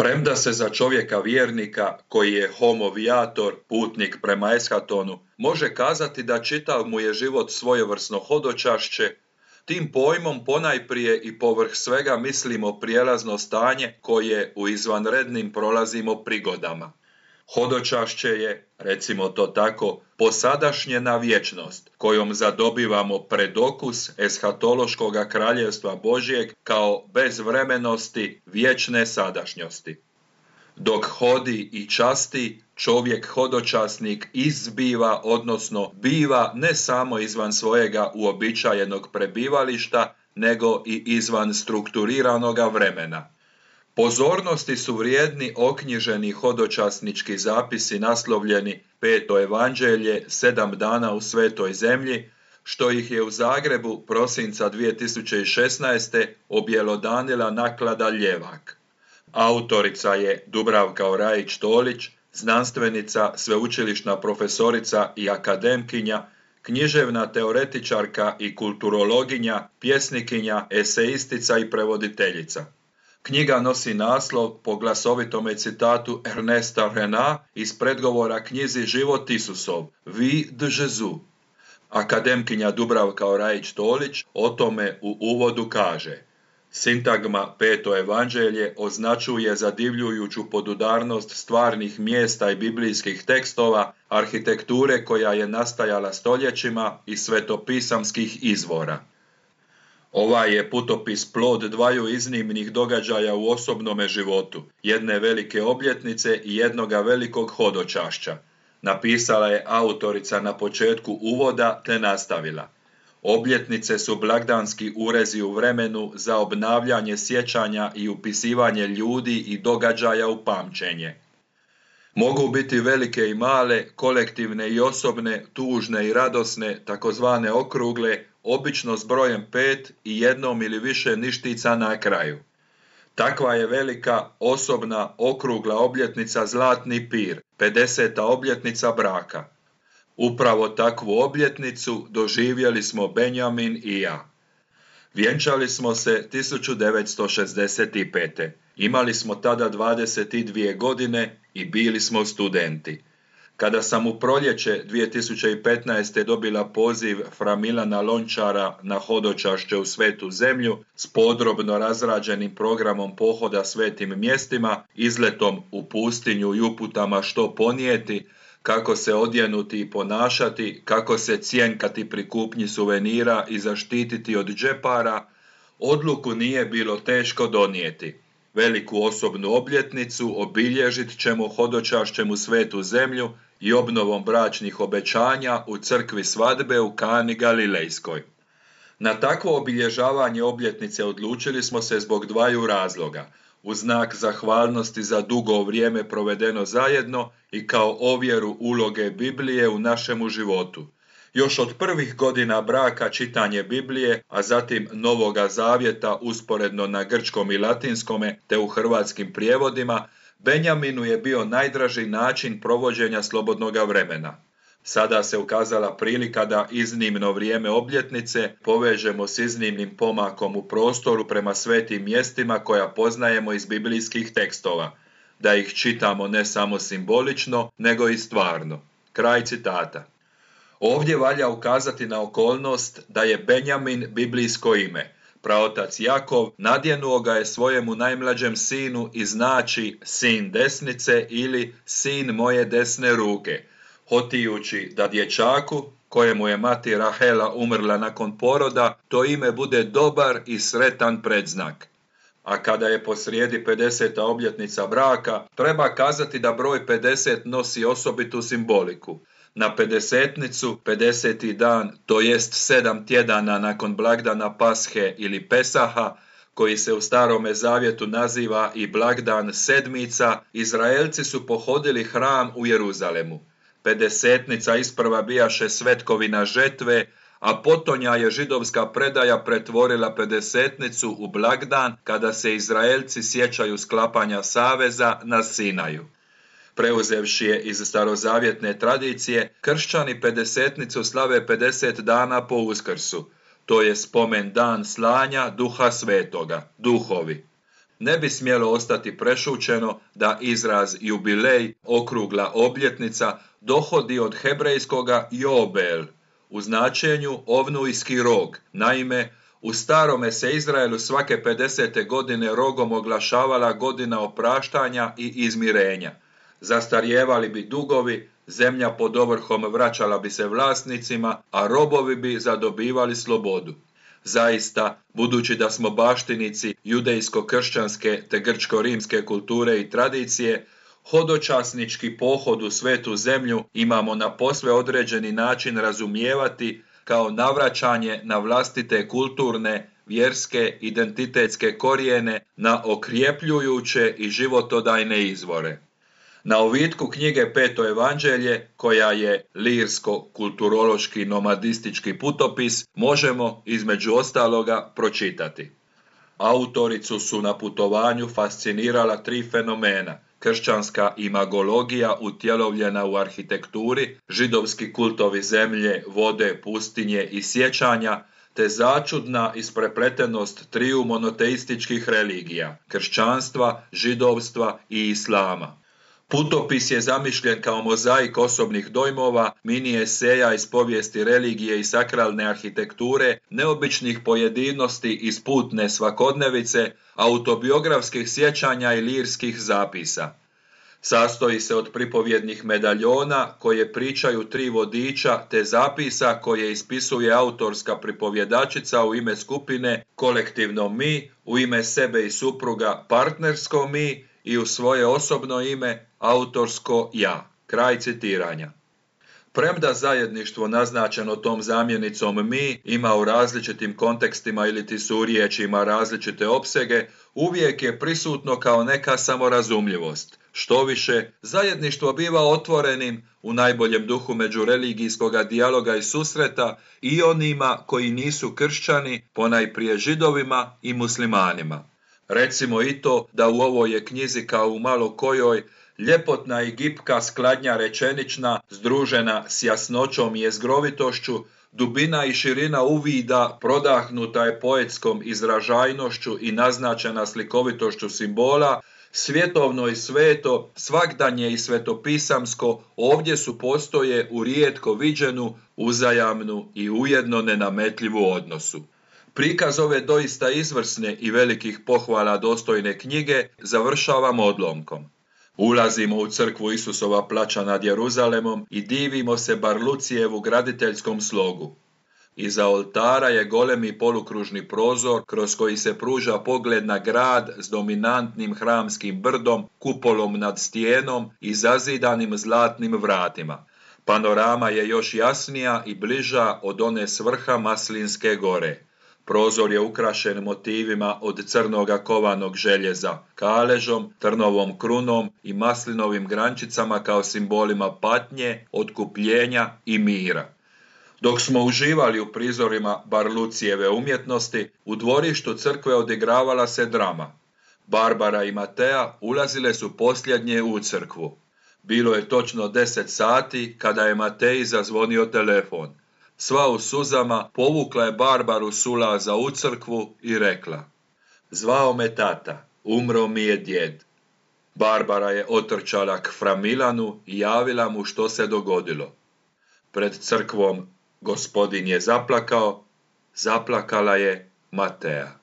Premda se za čovjeka vjernika, koji je homo viator, putnik prema eshatonu, može kazati da čitav mu je život svojevrsno hodočašće, tim pojmom ponajprije i povrh svega mislimo prijelazno stanje koje u izvanrednim prolazimo prigodama. Hodočašće je, recimo to tako, posadašnjena vječnost, kojom zadobivamo predokus eshatološkoga kraljevstva Božjeg kao bezvremenosti vječne sadašnjosti. Dok hodi i časti, čovjek hodočasnik izbiva, odnosno biva ne samo izvan svojega uobičajenog prebivališta, nego i izvan strukturiranoga vremena. Pozornosti su vrijedni oknjiženi hodočasnički zapisi naslovljeni Peto evanđelje, 7 dana u Svetoj zemlji, što ih je u Zagrebu prosinca 2016. objelodanila naklada Ljevak. Autorica je Dubravka Orajić-Tolić, znanstvenica, sveučilišna profesorica i akademkinja, književna teoretičarka i kulturologinja, pjesnikinja, eseistica i prevoditeljica. Knjiga nosi naslov po glasovitome citatu Ernesta Rena iz predgovora knjizi Život Isusov, Vie de Jésus. Akademkinja Dubravka Orajić-Tolić o tome u uvodu kaže: sintagma Peto evanđelje označuje zadivljujuću podudarnost stvarnih mjesta i biblijskih tekstova, arhitekture koja je nastajala stoljećima i svetopisamskih izvora. Ovaj je putopis plod dvaju iznimnih događaja u osobnome životu, jedne velike obljetnice i jednoga velikog hodočašća. Napisala je autorica na početku uvoda te nastavila: obljetnice su blagdanski urezi u vremenu za obnavljanje sjećanja i upisivanje ljudi i događaja u pamćenje. Mogu biti velike i male, kolektivne i osobne, tužne i radosne, takozvane okrugle, obično s brojem 5 i jednom ili više ništica na kraju. Takva je velika, osobna, okrugla obljetnica Zlatni pir, 50. obljetnica braka. Upravo takvu obljetnicu doživjeli smo Benjamin i ja. Vjenčali smo se 1965. Imali smo tada 22 godine i bili smo studenti. Kada sam u proljeće 2015. dobila poziv fra Milana Lončara na hodočašće u Svetu zemlju s podrobno razrađenim programom pohoda svetim mjestima, izletom u pustinju i uputama što ponijeti, kako se odjenuti i ponašati, kako se cjenkati pri kupnji suvenira i zaštititi od džepara, odluku nije bilo teško donijeti. Veliku osobnu obljetnicu obilježit ćemo hodočašćem u Svetu zemlju i obnovom bračnih obećanja u crkvi svadbe u Kani Galilejskoj. Na takvo obilježavanje obljetnice odlučili smo se zbog dvaju razloga: u znak zahvalnosti za dugo vrijeme provedeno zajedno i kao ovjeru uloge Biblije u našemu životu. Još od prvih godina braka čitanje Biblije, a zatim Novoga zavjeta usporedno na grčkom i latinskome te u hrvatskim prijevodima, Benjaminu je bio najdraži način provođenja slobodnoga vremena. Sada se ukazala prilika da iznimno vrijeme obljetnice povežemo s iznimnim pomakom u prostoru prema svetim mjestima koja poznajemo iz biblijskih tekstova, da ih čitamo ne samo simbolično, nego i stvarno. Kraj citata. Ovdje valja ukazati na okolnost da je Benjamin biblijsko ime. Praotac Jakov nadjenuo ga je svojemu najmlađem sinu i znači sin desnice ili sin moje desne ruke, hotijući da dječaku, kojemu je mati Rahela umrla nakon poroda, to ime bude dobar i sretan predznak. A kada je posrijedi 50. obljetnica braka, treba kazati da broj 50 nosi osobitu simboliku. Na 50-nicu, 50. dan, to jest 7 tjedana nakon blagdana Pashe ili Pesaha, koji se u Starome zavjetu naziva i blagdan Sedmica, Izraelci su pohodili hram u Jeruzalemu. 50-nica isprva bijaše svetkovina žetve, a potonja je židovska predaja pretvorila 50-nicu u blagdan kada se Izraelci sjećaju sklapanja saveza na Sinaju. Preuzevši je iz starozavjetne tradicije, kršćani 50-nicu slave 50 dana po Uskrsu. To je spomen dan slanja Duha Svetoga, duhovi. ne bi smjelo ostati prešućeno da izraz jubilej, okrugla obljetnica, dohodi od hebrejskoga jobel, u značenju ovnujski rog. Naime, u starome se Izraelu svake 50. godine rogom oglašavala godina opraštanja i izmirenja. Zastarijevali bi dugovi, zemlja pod ovrhom vraćala bi se vlasnicima, a robovi bi zadobivali slobodu. Zaista, budući da smo baštinici judejsko-kršćanske te grčko-rimske kulture i tradicije, hodočasnički pohod u svetu zemlju imamo na posve određeni način razumijevati kao navraćanje na vlastite kulturne, vjerske, identitetske korijene, na okrjepljujuće i životodajne izvore. Na ovitku knjige Peto evanđelje, koja je lirsko-kulturološki nomadistički putopis, možemo između ostaloga pročitati. Autoricu su na putovanju fascinirala 3 fenomena: kršćanska imagologija utjelovljena u arhitekturi, židovski kultovi zemlje, vode, pustinje i sjećanja, te začudna isprepletenost triju monoteističkih religija, kršćanstva, židovstva i islama. Putopis je zamišljen kao mozaik osobnih dojmova, mini eseja iz povijesti religije i sakralne arhitekture, neobičnih pojedinosti iz putne svakodnevice, autobiografskih sjećanja i lirskih zapisa. Sastoji se od pripovjednih medaljona koje pričaju 3 vodiča te zapisa koje ispisuje autorska pripovjedačica u ime skupine, kolektivno mi, u ime sebe i supruga partnersko mi i u svoje osobno ime autorsko ja. Kraj citiranja. Premda zajedništvo naznačeno tom zamjenicom mi ima u različitim kontekstima iliti suriječima različite opsege, uvijek je prisutno kao neka samorazumljivost. Štoviše, zajedništvo biva otvorenim u najboljem duhu međureligijskoga dijaloga i susreta i onima koji nisu kršćani, ponajprije židovima i muslimanima. Recimo i to da u ovoj je knjizi kao u malo kojoj ljepotna i gipka skladnja rečenična, združena s jasnoćom i jezgrovitošću, dubina i širina uvida prodahnuta je poetskom izražajnošću i naznačena slikovitošću simbola, svjetovno i sveto, svagdanje i svetopisamsko ovdje su postoje u rijetko viđenu, uzajamnu i ujedno nenametljivu odnosu. Prikaz ove doista izvrsne i velikih pohvala dostojne knjige završavamo odlomkom. Ulazimo u crkvu Isusova plača nad Jeruzalemom i divimo se Barlucijevu graditeljskom slogu. Iza oltara je golemi polukružni prozor kroz koji se pruža pogled na grad s dominantnim hramskim brdom, kupolom nad stijenom i zazidanim zlatnim vratima. Panorama je još jasnija i bliža od one s vrha Maslinske gore. Prozor je ukrašen motivima od crnoga kovanog željeza, kaležom, trnovom krunom i maslinovim grančicama kao simbolima patnje, otkupljenja i mira. Dok smo uživali u prizorima Barlucijeve umjetnosti, u dvorištu crkve odigravala se drama. Barbara i Matea ulazile su posljednje u crkvu. Bilo je točno 10 sati kada je Mateji zazvonio telefon. Sva u suzama povukla je Barbaru s ulaza u crkvu i rekla: "Zvao me tata, umro mi je djed." Barbara je otrčala k fra Milanu i javila mu što se dogodilo. Pred crkvom Gospodin je zaplakao, zaplakala je Matea.